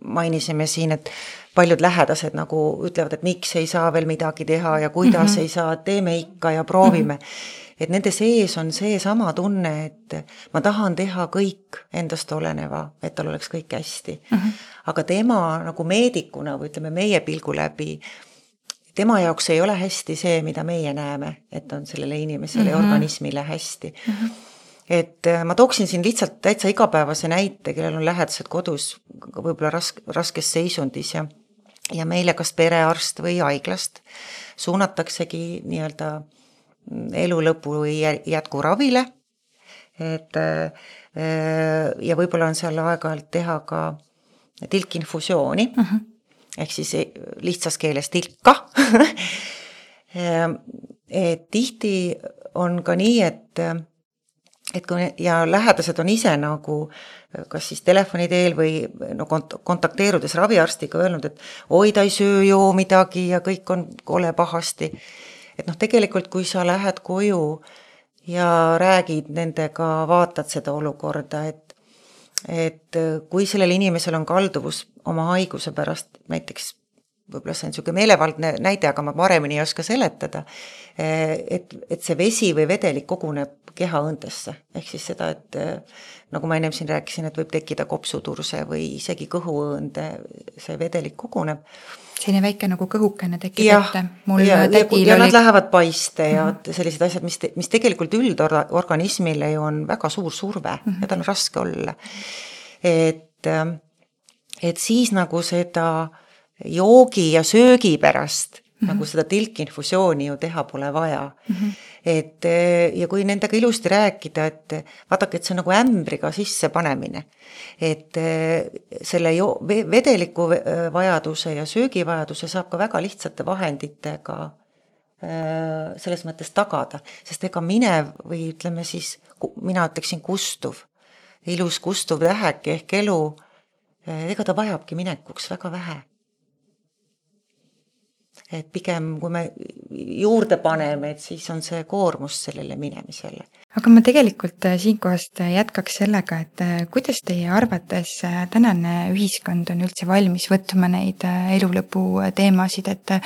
mainisime siin, et paljud lähedased nagu ütlevad, et miks ei saa veel midagi teha ja kuidas mm -hmm. ei saa, teeme ikka ja proovime. Mm -hmm. Et nende sees on see sama tunne, et ma tahan teha kõik endast oleneva, et tal oleks kõik hästi. Mm -hmm. Aga tema nagu meedikuna või ütleme meie pilgu läbi, tema jaoks ei ole hästi see, mida meie näeme, et on sellele inimesele mm -hmm. ja organismile hästi. Mm -hmm. Et ma tooksin siin lihtsalt täitsa igapäevase näite, kellel on lähedased kodus võib-olla raske, raskes seisundis ja, ja meile kas perearst või haiglast suunataksegi nii-öelda elu lõpu või jätkuravile. Et, ja võib-olla on seal aeg-ajalt teha ka tilkinfusiooni, uh -huh. ehk siis lihtsas keeles tilka. Et tihti on ka nii, et et kui ja lähedased on ise nagu kas siis telefoni teel või no kont- kontakteerudes raviarstiga öelnud, et oi, ta ei söö ju midagi ja kõik on kole pahasti. Et noh, tegelikult kui sa lähed koju ja räägid nendega, vaatad seda olukorda, et, et kui sellel inimesel on kalduvus oma haiguse pärast, näiteks võib-olla see on niisugune meelevaldne näide, aga ma paremini ei oska seletada, et, et see vesi või vedelik koguneb kehaõndesse. Ehk siis seda, et nagu ma ennem siin rääkisin, et võib tekkida kopsuturse või isegi kõhuõõnde, see vedelik koguneb. Selline väike nagu kõhukene tekib ja, ette. Mul ja, ja, ja oli... nad lähevad paiste ja mm -hmm. sellised asjad, mis, te, mis tegelikult üldorganismile ju on väga suur surve mm -hmm. ja tal on raske olla. Et, et siis nagu seda joogi ja söögi pärast mm -hmm. nagu seda tilkinfusiooni ju teha pole vaja. Mm -hmm. Et ja kui nendega ilusti rääkida, et vaadake, et see on nagu ämbriga sisse panemine, et selle jo- vedeliku vajaduse ja söögivajaduse saab ka väga lihtsate vahenditega selles mõttes tagada, sest ega minev või ütleme siis, mina ütleksin kustuv, ilus kustuv täheke ehk elu, ega ta vajabki minekuks väga vähe. Et pigem kui me juurde paneme, et siis on see koormus sellele minemisele. Aga ma tegelikult siinkohast jätkaks sellega, et kuidas teie arvates tänane ühiskond on üldse valmis võtma neid elulõpu teemasid, et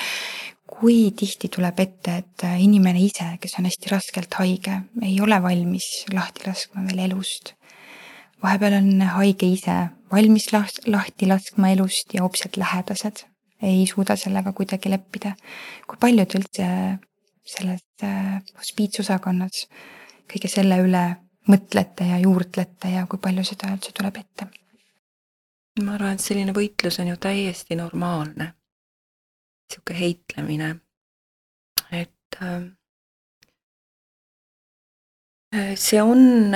kui tihti tuleb ette, et inimene ise, kes on hästi raskelt haige, ei ole valmis lahti laskma veel elust. Vahepeal on haige ise valmis lahti laskma elust ja hoopselt lähedased ei suuda sellega kuidagi leppida. Kui palju te üldse selles hospiitsusakonnas kõige selle üle mõtlete ja juurdlete ja kui palju seda üldse tuleb ette? Ma arvan, et selline võitlus on ju täiesti normaalne. Siuke heitlemine. Et see on,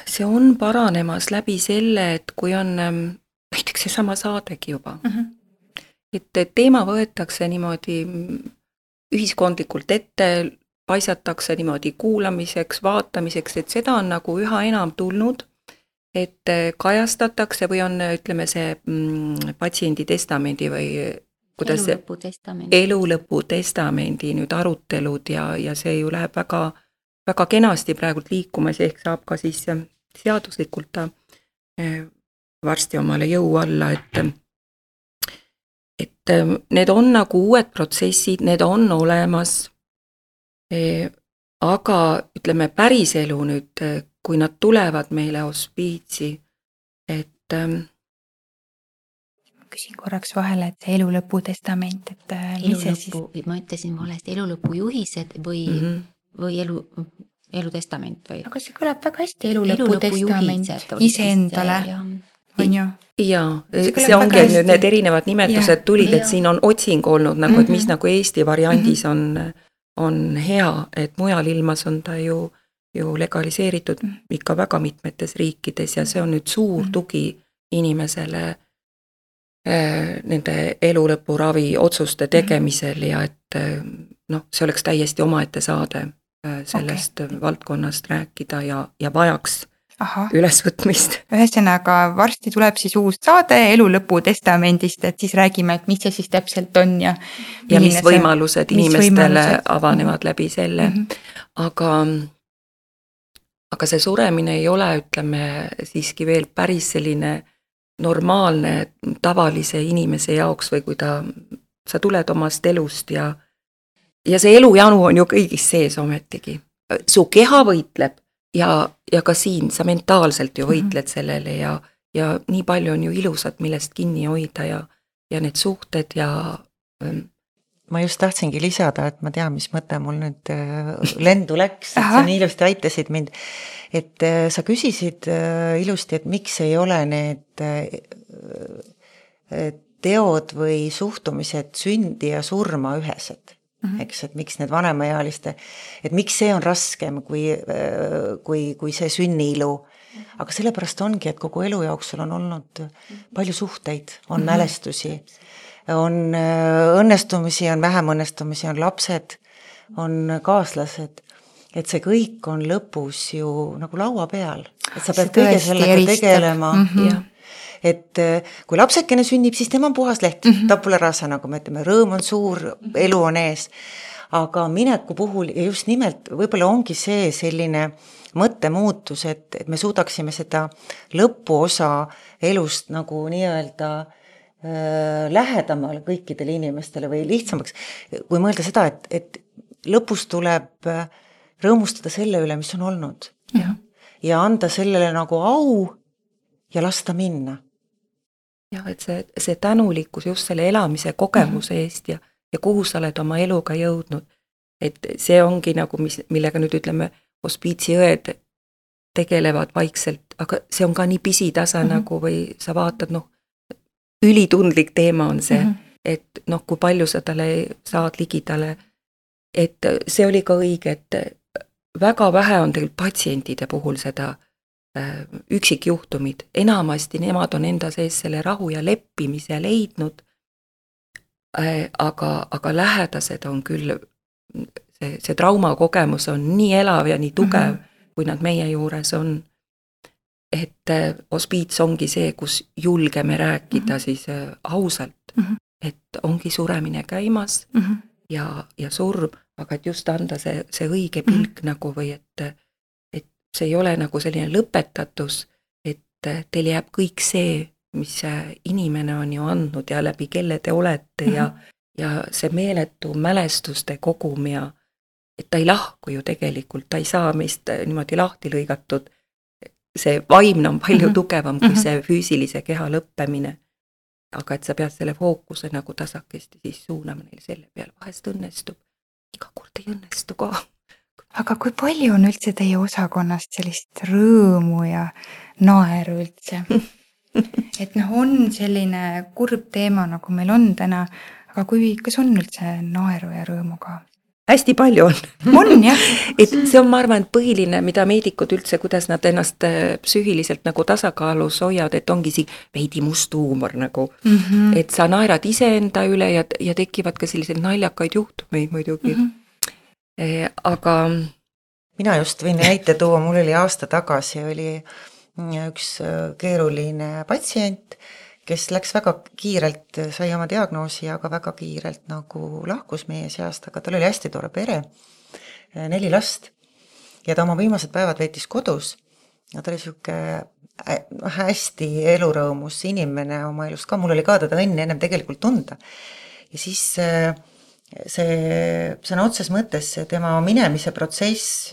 see on paranemas läbi selle, et kui on näiteks see sama saadegi juba. Uh-huh. Et teema võetakse niimoodi ühiskondlikult ette, paisatakse niimoodi kuulamiseks, vaatamiseks, et seda on nagu üha enam tulnud, et kajastatakse või on, ütleme, see mm, patsiendi testamendi või kuidas elulõpu testamendi, elulõpu testamendi nüüd arutelud ja, ja see ju läheb väga, väga kenasti praegult liikumas, ehk saab ka siis seaduslikult ta varsti omale jõu alla, et et need on nagu uued protsessid, need on olemas, aga ütleme päriselu nüüd, kui nad tulevad meile hospiitsi, et küsin korraks vahele, et see elulõpu testament, et elulõpu, siis... ma ütlesin valesti, elulõpu juhised või, mm -hmm. või elu, elutestament või? Aga see kõlab väga hästi, elulõpu testament iseendale. On ju? Jaa, see, see ongi nüüd need erinevad nimetused ja, tulid, et ja. Siin on otsing olnud nagu, et mis mm -hmm. nagu Eesti variandis on, on hea, et mujal ilmas on ta ju, ju legaliseeritud mm -hmm. ikka väga mitmetes riikides ja see on nüüd suur mm -hmm. tugi inimesele äh, nende elulõpuravi otsuste tegemisel mm -hmm. ja et noh, see oleks täiesti omaette saade äh, sellest okay. valdkonnast rääkida ja, ja vajaks Aha. ülesvõtmist. Ühesõnaga, varsti tuleb siis uus saade elulõpu testamendist, et siis räägime, et mis see siis täpselt on ja ja mis võimalused see, inimestele võimalused? avanevad läbi selle. Mm -hmm. Aga, aga see suremine ei ole, ütleme, siiski veel päris selline normaalne tavalise inimese jaoks või kui ta, sa tuled omast elust ja, ja see elujanu on ju kõigis sees ometigi. Su keha võitleb ja, ja ka siin sa mentaalselt ju võitled sellele ja, ja nii palju on ju ilusat, millest kinni hoida ja, ja need suhted ja ma just tahtsingi lisada, et ma tean, mis mõte mul nüüd lendu läks, et sa nii ilusti aitasid mind. Et sa küsisid ilusti, et miks ei ole need teod või suhtumised sündi ja surma ühesed. Mm-hmm. Eks, et miks need vanemaealiste, et miks see on raskem kui, kui, kui see sünniilu. Aga sellepärast ongi, et kogu elu jooksul on olnud palju suhteid, on mm-hmm. mälestusi. On õnnestumisi, on vähem õnnestumisi, on lapsed, on kaaslased, et see kõik on lõpus ju nagu laua peal, et sa pead kõige sellega tegelema. Mm-hmm. Et kui lapsekene sünnib, siis tema on puhas leht, mm-hmm. tabula rasa, nagu me ütleme, rõõm on suur, elu on ees. Aga mineku puhul ja just nimelt võib-olla ongi see selline mõttemuutus, et, et me suudaksime seda lõpuosa elust nagu nii-öelda lähedamale kõikidele inimestele või lihtsamaks, kui mõelda seda, et, et lõpus tuleb rõõmustada selle üle, mis on olnud. Ja, ja anda sellele nagu au ja lasta minna. Ja, et see, see tänulikkus just selle elamise kogemuse mm-hmm. eest ja, ja kuhu sa oled oma eluga jõudnud. Et see ongi nagu, mis, millega nüüd ütleme, hospiitsiõed tegelevad vaikselt, aga see on ka nii pisitasa mm-hmm. nagu või sa vaatad, noh, ülitundlik teema on see, mm-hmm. et noh, kui palju sa talle saad ligidale, et see oli ka õige, et väga vähe on tegelikult patsientide puhul seda äh, üksikjuhtumid, enamasti nemad on enda sees selle rahu ja leppimise leidnud, äh, aga, aga lähedased on küll, see, see traumakogemus on nii elav ja nii tugev, mm-hmm. kui nad meie juures on. Et hospiits ongi see, kus julgeme rääkida mm-hmm. siis ausalt, mm-hmm. et ongi suremine käimas mm-hmm. ja, ja surm, aga et just anda see, see õige pilk mm-hmm. nagu või et, et see ei ole nagu selline lõpetatus, et teil jääb kõik see, mis inimene on ju andnud ja läbi kelle te olete mm-hmm. ja, ja see meeletu mälestuste kogum ja et ta ei lahku ju tegelikult, ta ei saa meist niimoodi lahti lõigatud. See vaimne on palju mm-hmm. tugevam kui mm-hmm. see füüsilise keha lõppemine. Aga et sa pead selle fookuse nagu tasakesti siis suunama neil selle peale. Vahest õnnestub, iga kord ei õnnestu ka. Aga kui palju on üldse teie osakonnast sellist rõõmu ja naeru üldse? Et noh, on selline kurb teema, nagu meil on täna, aga kui, kas on üldse naeru ja rõõmu ka? Hästi palju on. On, jah. Et see on, ma arvan, et põhiline, mida meedikud üldse, kuidas nad ennast psüühiliselt nagu tasakaalus hoiavad, et ongi siin veidi must huumor nagu. Mm-hmm. Et sa naerad iseenda üle ja, ja tekivad ka sellised naljakaid juhtumeid muidugi. Mm-hmm. E, aga... Mina just võin näite tuua, mul oli aasta tagasi, oli üks keeruline patsient, kes läks väga kiirelt, sai oma diagnoosi, aga väga kiirelt nagu lahkus meie seast, aga tal oli hästi tore pere, neli last ja ta oma viimased päevad veetis kodus ja ta oli siuke hästi elurõõmus inimene oma elust ka, mul oli ka teda õnne ennem tegelikult tunda ja siis see sõna otses mõttes tema minemise protsess,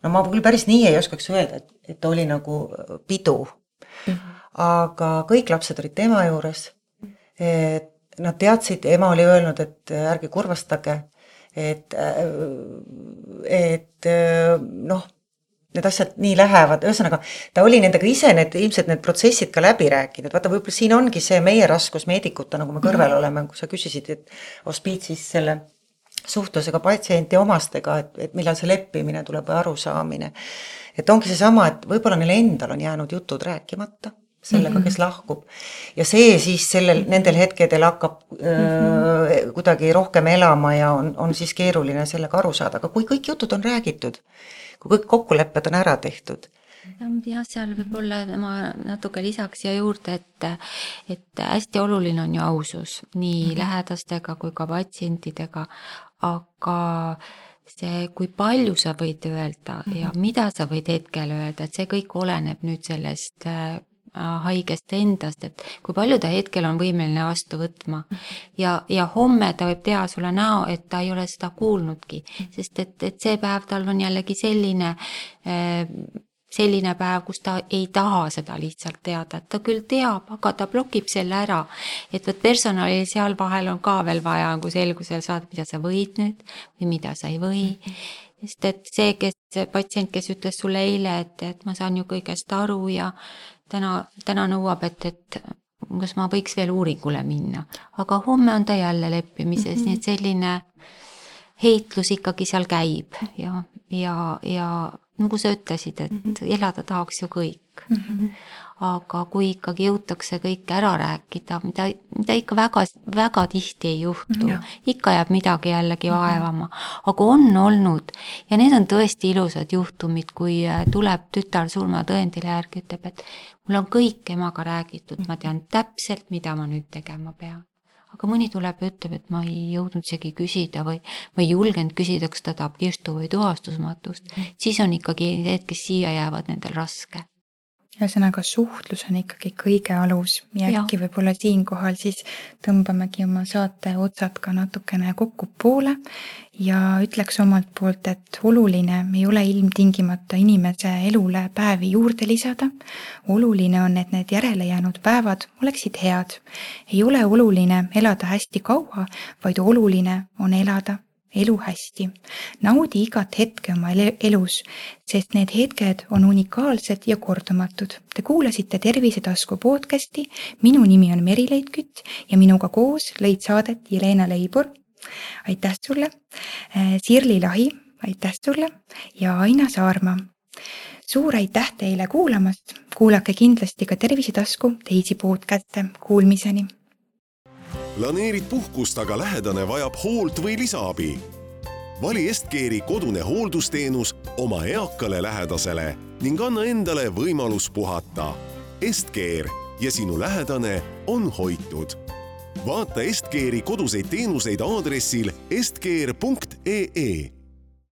no ma küll päris nii ei oskaks öelda, et, et oli nagu pidu mm-hmm. aga kõik lapsed olid tema juures, et nad teadsid, ema oli öelnud, et ärge kurvastage, et, et noh, need asjad nii lähevad, ühesõnaga, ta oli nendega ise need, ilmselt need protsessid ka läbi rääkinud, vaata võib-olla siin ongi see meie raskus meedikuta, nagu me kõrvel oleme, kui sa küsisid, et hospiitsis selle suhtlusega patsienti omastega, et, et millal see leppimine tuleb või arusaamine, et ongi see sama, et võib-olla neil endal on jäänud jutud rääkimata, sellega, kes lahkub. Ja see siis sellel, nendel hetkedel hakkab öö, kuidagi rohkem elama ja on, on siis keeruline sellega aru saada. Aga kui kõik jutud on räägitud, kui kõik kokkulepped on ära tehtud. Ja seal võib-olla ma natuke lisaks ja juurde, et, et hästi oluline on ju ausus nii mm-hmm. lähedastega kui ka patsientidega, aga see, kui palju sa võid öelda mm-hmm. ja mida sa võid hetkel öelda, et see kõik oleneb nüüd sellest haigest endast, et kui palju ta hetkel on võimeline vastu võtma. Ja, ja homme ta võib teha sulle näo, et ta ei ole seda kuulnudki, sest et, et see päev tal on jällegi selline, selline päev, kus ta ei taha seda lihtsalt teada, et ta küll teab, aga ta blokib selle ära, et võt personalil seal vahel on ka veel vaja, kui selgusel saada, mida sa võid nüüd või mida sa ei või. Sest et see, kes, see patsient, kes ütles sulle eile, et, et ma saan ju kõigest aru ja täna, täna nõuab, et, et kas ma võiks veel uuringule minna. Aga homme on ta jälle leppimises, mm-hmm. nii et selline heitlus ikkagi seal käib ja, ja, ja nagu sa ütlesid, et mm-hmm. elada tahaks ju kõik. Mm-hmm. Aga kui ikkagi jõutakse kõik ära rääkida, mida, mida ikka väga, väga tihti ei juhtu, ja. Ikka jääb midagi jällegi vaevama, aga on olnud ja need on tõesti ilusad juhtumid, kui tuleb tütar surmatõendile järgi, ütleb, et mul on kõik emaga räägitud, ma tean täpselt, mida ma nüüd tegema pean. Aga mõni tuleb ja ütleb, et ma ei jõudnud isegi küsida või ma ei julgenud küsida, kas ta tahab kirstu või tuhastusmatust, siis on ikkagi need, kes siia jäävad nendel raske. Ühesõnaga suhtlus on ikkagi kõige alus ja äkki võib-olla siinkohal siis tõmbamegi oma saate otsad ka natukene kokku poole ja ütleks omalt poolt, et oluline ei ole ilmtingimata inimese elule päevi juurde lisada. Oluline on, et need järele jäänud päevad oleksid head. Ei ole oluline elada hästi kaua, vaid oluline on elada elu hästi. Naudi igat hetke oma elus, sest need hetked on unikaalsed ja kordumatud. Te kuulasite Tervisetasku podcasti. Minu nimi on Merileit Kütt ja minuga koos lõid saadet Jelena Leibur. Aitäh sulle. Sirli Lahi, aitäh sulle ja Aina Saarma. Suur aitäh teile kuulamast. Kuulake kindlasti ka Tervisetasku teisi podcaste. Kuulmiseni. Planeerid puhkust, aga lähedane vajab hoolt või lisaabi. Vali Estcare'i kodune hooldusteenus oma eakale lähedasele ning anna endale võimalus puhata. Estcare ja sinu lähedane on hoitud. Vaata Estcare'i koduseid teenuseid aadressil estcare punkt ee.